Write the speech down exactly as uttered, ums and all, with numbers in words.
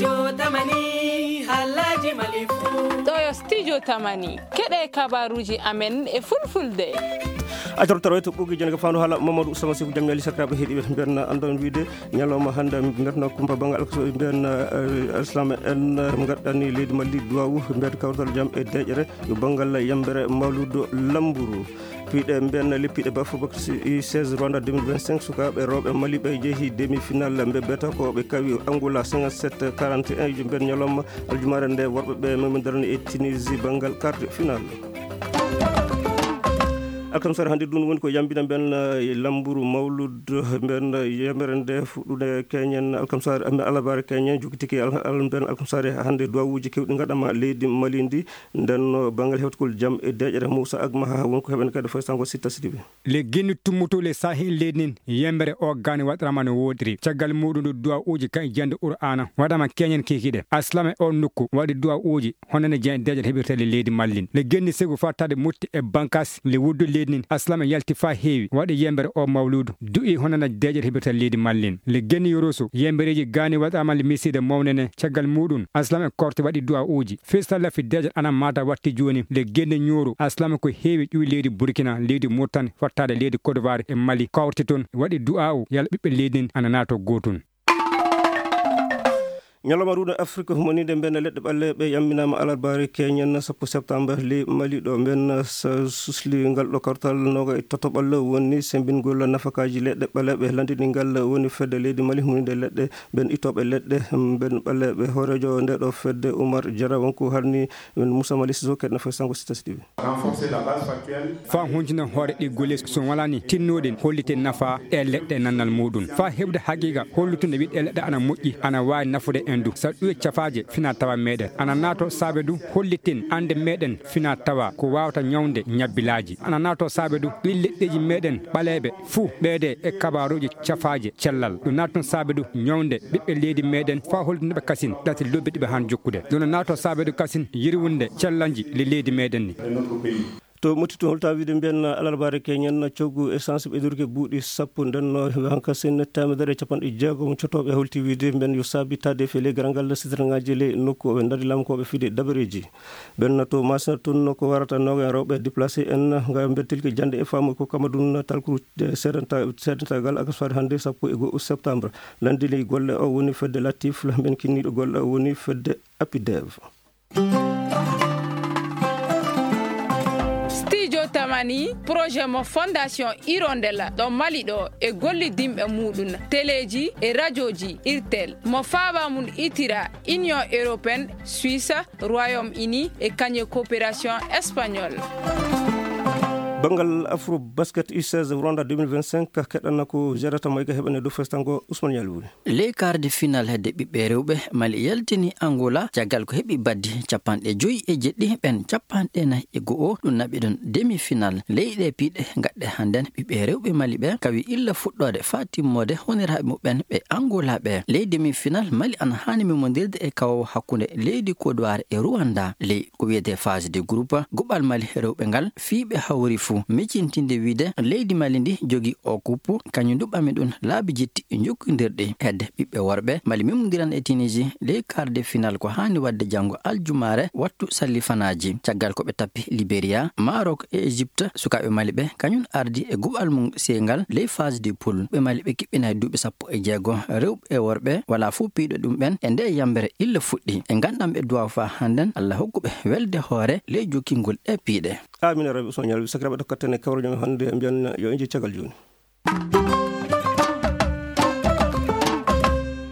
Jotamani, halaji malifu. Ɗo yo studio Tamani. Keɗe kabaruji amen e fulfulde. A tortoro to ɓogi jene ko fandu hala Mamadou Sama Siku jam yali sakiraɓe heɗiɓe mbiyan andon wiide ñalawma hande mbiyan kumpa bangal alkaso mbiyan, eh, Islam en, eh, gaɗɗani leydi Mali duwawu mbiyan kawtal jam e deƴere yo bangal yambere mawludo lamburu. Piɗe mbiyan leppiɗe bafo bakri seize Rwanda deux mille vingt-cinq sukaɓe rewɓe Mali ɓe jeehi demi final mbe beta ko ɓe kawi Angola cinquante-sept quarante et un mbiyan ñalawma aljumare nde worɓe ɓe memi darani e Tunisie bangal quart de final. Alkamsare hannde ɗum woni ko yambina mben, eh, lamburu mawlud mben, eh, yemere nde fuɗɗude keñen alkamsare, eh, alarbaare keñen jokkitiki al-, al-, mben alkamsare hannde duwawuji kewɗi ngaɗama leydi Mali ndi. Nden no banngal hewtugol jam e deƴere Moussa Agma ha woni ko heɓen kadi foy sango Sitta Sidibe. Le genni tummutu le sahi lednin yembere o gani waɗrama no woɗiri. Caggal muɗum ɗo duwawuji kan jande Qur'ana waɗama keñen kikiɗe. Aslama e on nokku waɗi duwawuji honande jen dejal heɓirtele leydi Mallin. Le genni segu fattade mutti e bankas le wuddu leydi nin. Aslama yalti fa heewi waɗi yembere o mawludu du'i honande dejal heɓirtele leydi Mallin. Le genni yoroso yembereji gani waɗama le miside mawnene. Caggal muɗum Aslama e korte waɗi duwawuji. Fistalla fi dejal ana mata watti joni. Le genni ñooro Aslama ko heewi ƴuwi leydi Burkina, leydi Murtani, fattade leydi Côte d'Ivoire e Mali. Kawrte toon waɗi du'a'u yalla ɓiɓɓe leydi nin ana nato gotun. Ñalawma ruuɗo Afrique humaninde mben leɗɗe ɓalleɓe yamminama alarbaare keñen sappo septembre ley Mali ɗo mben sa-, susli ngal ɗo kartal noga e tatoɓal woni sembingol nafakaji leɗɗe ɓalleɓe landini ngal woni fedde leydi Mali humaninde leɗɗe mben ittoɓe leɗɗe mben ɓalleɓe hoorejo nde ɗo fedde Oumar Diarra wonko harni mben Moussa Mali Siso keɗna foy sango Sitta Sidibe. Renforcer la base factuelle. Fa huntina hoore ɗi golle so walani tinnoɗen hollite nafa e leɗɗe nannal muɗum. Fa heɓde haqiqa hollutude wiɗɗe leɗɗe ana moƴƴi, ana waawi nafude en du. Sa ɗuwe cafaaje fina tawa meɗen. Ana naato saabe du holliten ande meɗen fina tawa ko wawata ñawde ñabbilaaji. Ana naato saabe du ɗin leɗɗeji meɗen ɓaleeɓe fuu ɓeede e kabaruuji cafaaje cellal. Ɗum naatun saabe du ñawde ɓiɓɓe leydi meɗen fa hollude ɓe kasin ɗati lobbi ɗiɓe han jokkude. Ɗum naatoo saabe du kasin yirwunde cellal nji le leydi meɗen ni. To motti to holta wiide mbiyen alarbaare keñen coggu essence ɓe durke buuɗi sappo ndenno hanka sen temedere e capanɗe jeegom cotooɓe holti wiide mbiyen yo saabi taade fe le garangal sitrangaaji le nokku o ɓe ndari lamkooɓe fide dabareeji. Ɓen to masina tun ko warata noga en rewɓe déplacé en nga mbiyen tilki jande e faamu ko kamadun talkuru sedentagal ak soirée hannde sappo e go'o septembre. Landini golle o woni fedde Latif, mbiyen kinniɗo golle o woni fedde Apidev. Studio Tamani, projet mo Fondation Hirondelle ɗo Mali ɗo e gollidimɓe muɗum, teleji e rajoji Irtel, mo faaba mum itira Union Européenne, Suisse, Royaume-Uni e kañe coopération espagnole. Banngal Afro Basket U seize Rwanda deux mille vingt-cinq keɗɗana ko Zerata Mayga heɓane dow festango Ousmane Yalwuri. Ley quart de finale hedde ɓiɓɓe rewɓe, Mali yaltini Angola caggal ko heɓi baddi capanɗe joyi e jeɗɗi, ɓen capanɗe nayi e go'o, ɗum naɓi ɗum demi finale. Ley ɗe piɗe gaɗɗe hannden, ɓiɓɓe rewɓe Mali ɓe kawi illa fuɗɗoode faa timmoode honiraaɓe muɓɓen ɓe Angola ɓe. Ley demi finale, Mali ana haani memondirde e kawo hakkunde leydi Côte d'Ivoire e Rwanda. Ley ko wiyetee phase de groupe, guɓal Mali rewɓe ngal fii ɓe hawri fuu. Micintinde wiide leydi Mali ndi jogii o kuppu, kañum du ɓami ɗum laabi jetti jokkondirɗi. Hedde ɓiɓɓe worɓe, Mali memondiran e Tunisie ley quart de finale ko haani waɗde janngo aljumaare wattu sallifanaaji. Caggal ko ɓe tappi Liberia, Maroc e Égypte, sukaaɓe Mali ɓe kañum ardi e guɓal mum seengal ley phase de poule. Ɓe Mali ɓe kiɓɓinay duuɓi sappo e jeego, rewɓe e worɓe, walaa fof piiɗo ɗum ɓen e nde yambere illa fuɗɗi. E ngandam ɓe duwaw faa hannden, Allah hokku ɓe welde hoore ley jokkingol ɗe piiɗe. Amina Rabi Usman Yalwi, sakiraaɓe, tokkaten e kawral men hannde, mbiyen yo en njehi caggal jooni.